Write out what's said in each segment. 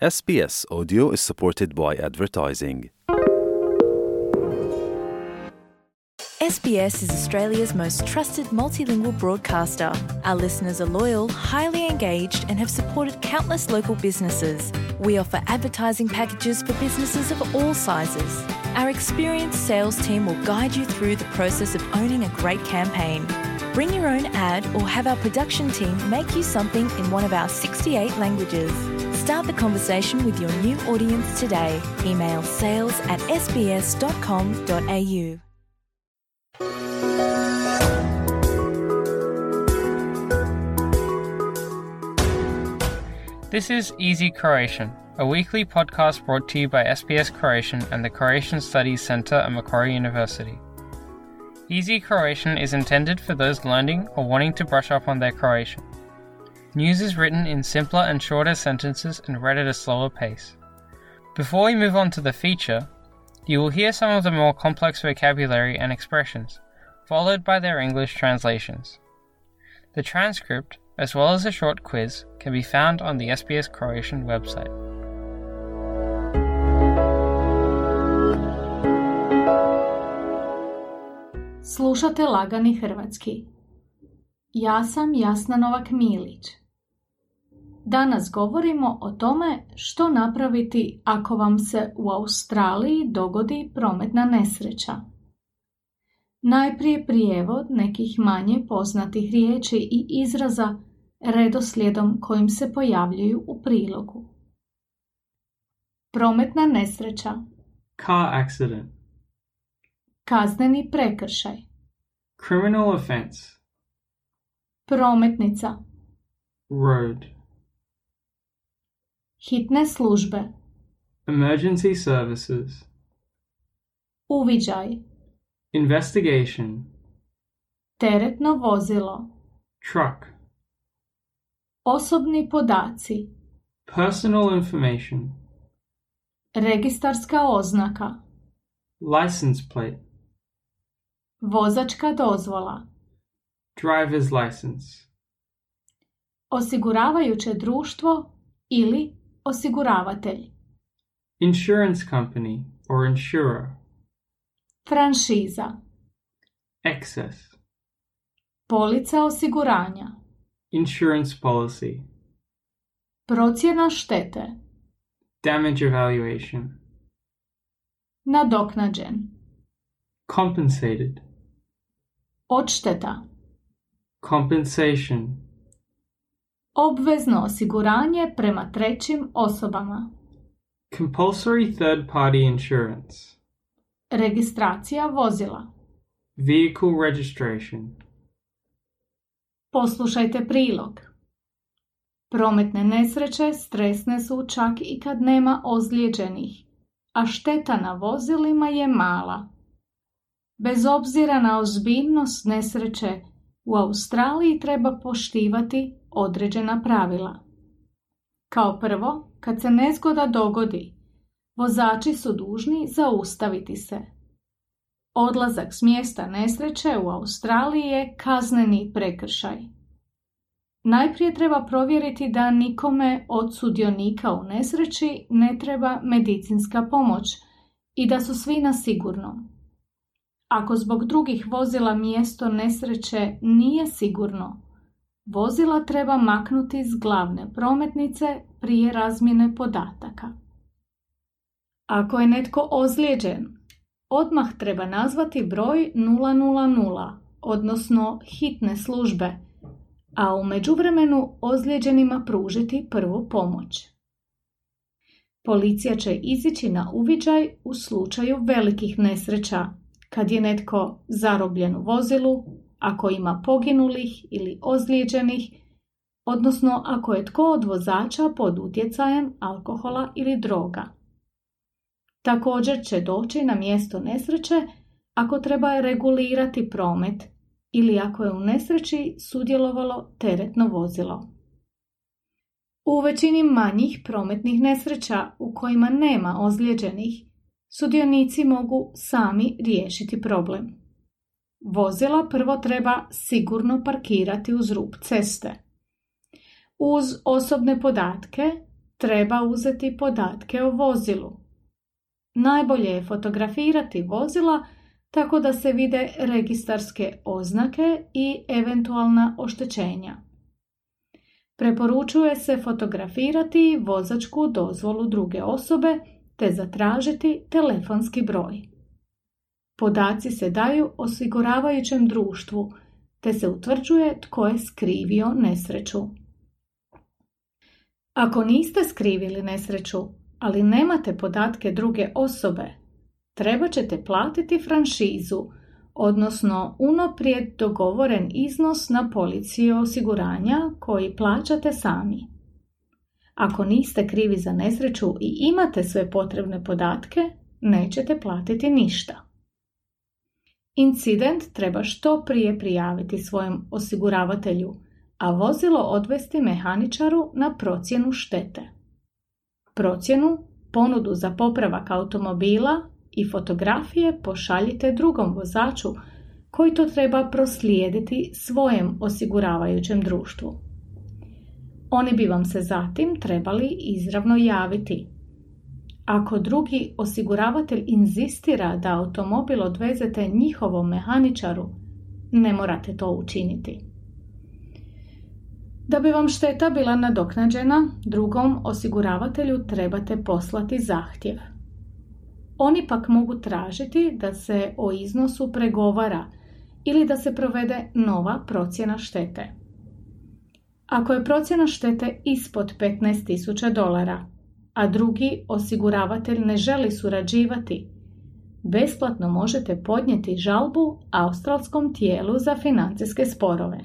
SBS Audio is supported by advertising. SBS is Australia's most trusted multilingual broadcaster. Our listeners are loyal, highly engaged, and have supported countless local businesses. We offer advertising packages for businesses of all sizes. Our experienced sales team will guide you through the process of owning a great campaign. Bring your own ad or have our production team make you something in one of our 68 languages. Start the conversation with your new audience today. Email sales@sbs.com.au. This is Easy Croatian, a weekly podcast brought to you by SBS Croatian and the Croatian Studies Centre at Macquarie University. Easy Croatian is intended for those learning or wanting to brush up on their Croatian. News is written in simpler and shorter sentences and read at a slower pace. Before we move on to the feature, you will hear some of the more complex vocabulary and expressions, followed by their English translations. The transcript, as well as a short quiz, can be found on the SBS Croatian website. Slušate Lagani hrvatski. Ja sam Jasna Novak-Milić. Danas govorimo o tome što napraviti ako vam se u Australiji dogodi prometna nesreća. Najprije prijevod nekih manje poznatih riječi i izraza redoslijedom kojim se pojavljuju u prilogu. Prometna nesreća. Car accident. Kazneni prekršaj. Criminal offense. Prometnica. Road. Hitne službe. Emergency services. Uviđaj. Investigation. Teretno vozilo. Truck. Osobni podaci. Personal information. Registarska oznaka. License plate. Vozačka dozvola. Driver's license. Osiguravajuće društvo ili osiguravatelj. Insurance company or insurer. Franšiza. Excess. Polica osiguranja. Insurance policy. Procjena štete. Damage evaluation. Nadoknađen. Compensated. Odšteta. Compensation. Obvezno osiguranje prema trećim osobama. Compulsory third-party insurance. Registracija vozila. Vehicle registration. Poslušajte prilog. Prometne nesreće stresne su čak i kad nema ozlijeđenih, a šteta na vozilima je mala. Bez obzira na ozbiljnost nesreće, u Australiji treba poštivati određena pravila. Kao prvo, kad se nezgoda dogodi, vozači su dužni zaustaviti se. Odlazak s mjesta nesreće u Australiji je kazneni prekršaj. Najprije treba provjeriti da nikome od sudionika u nesreći ne treba medicinska pomoć i da su svi na sigurnom. Ako zbog drugih vozila mjesto nesreće nije sigurno, vozila treba maknuti s glavne prometnice prije razmjene podataka. Ako je netko ozlijeđen, odmah treba nazvati broj 000, odnosno hitne službe, a u međuvremenu ozlijeđenima pružiti prvu pomoć. Policija će izići na uviđaj u slučaju velikih nesreća, kad je netko zarobljen u vozilu, ako ima poginulih ili ozlijeđenih, odnosno ako je tko od vozača pod utjecajem alkohola ili droga. Također će doći na mjesto nesreće ako treba regulirati promet ili ako je u nesreći sudjelovalo teretno vozilo. U većini manjih prometnih nesreća u kojima nema ozlijeđenih, sudionici mogu sami riješiti problem. Vozila prvo treba sigurno parkirati uz rub ceste. Uz osobne podatke treba uzeti podatke o vozilu. Najbolje je fotografirati vozila tako da se vide registarske oznake i eventualna oštećenja. Preporučuje se fotografirati vozačku dozvolu druge osobe te zatražiti telefonski broj. Podaci se daju osiguravajućem društvu te se utvrđuje tko je skrivio nesreću. Ako niste skrivili nesreću, ali nemate podatke druge osobe, treba ćete platiti franšizu, odnosno unaprijed dogovoren iznos na policiji osiguranja koji plaćate sami. Ako niste krivi za nesreću i imate sve potrebne podatke, nećete platiti ništa. Incident treba što prije prijaviti svojem osiguravatelju, a vozilo odvesti mehaničaru na procjenu štete. Procjenu, ponudu za popravak automobila i fotografije pošaljite drugom vozaču koji to treba proslijediti svojem osiguravajućem društvu. Oni bi vam se zatim trebali izravno javiti. Ako drugi osiguravatelj inzistira da automobil odvezete njihovom mehaničaru, ne morate to učiniti. Da bi vam šteta bila nadoknađena, drugom osiguravatelju trebate poslati zahtjev. Oni pak mogu tražiti da se o iznosu pregovara ili da se provede nova procjena štete. Ako je procjena štete ispod $15,000, a drugi osiguravatelj ne želi surađivati, besplatno možete podnijeti žalbu australskom tijelu za financijske sporove.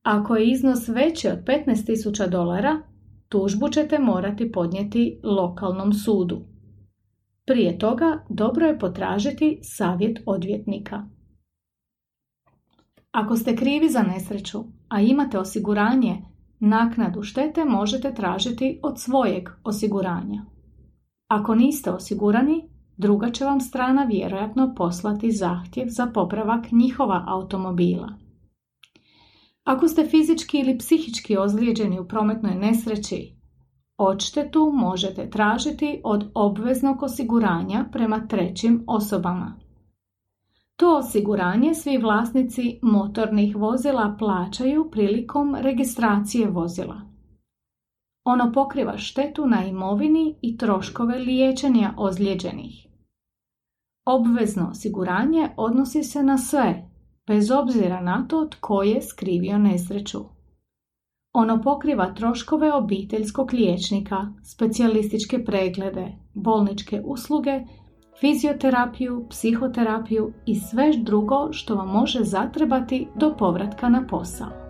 Ako je iznos veći od $15,000, tužbu ćete morati podnijeti lokalnom sudu. Prije toga dobro je potražiti savjet odvjetnika. Ako ste krivi za nesreću, a imate osiguranje, naknadu štete možete tražiti od svojeg osiguranja. Ako niste osigurani, druga će vam strana vjerojatno poslati zahtjev za popravak njihova automobila. Ako ste fizički ili psihički ozlijeđeni u prometnoj nesreći, odštetu možete tražiti od obveznog osiguranja prema trećim osobama. To osiguranje svi vlasnici motornih vozila plaćaju prilikom registracije vozila. Ono pokriva štetu na imovini i troškove liječenja ozlijeđenih. Obvezno osiguranje odnosi se na sve, bez obzira na to tko je skrivio nesreću. Ono pokriva troškove obiteljskog liječnika, specijalističke preglede, bolničke usluge, fizioterapiju, psihoterapiju i sve drugo što vam može zatrebati do povratka na posao.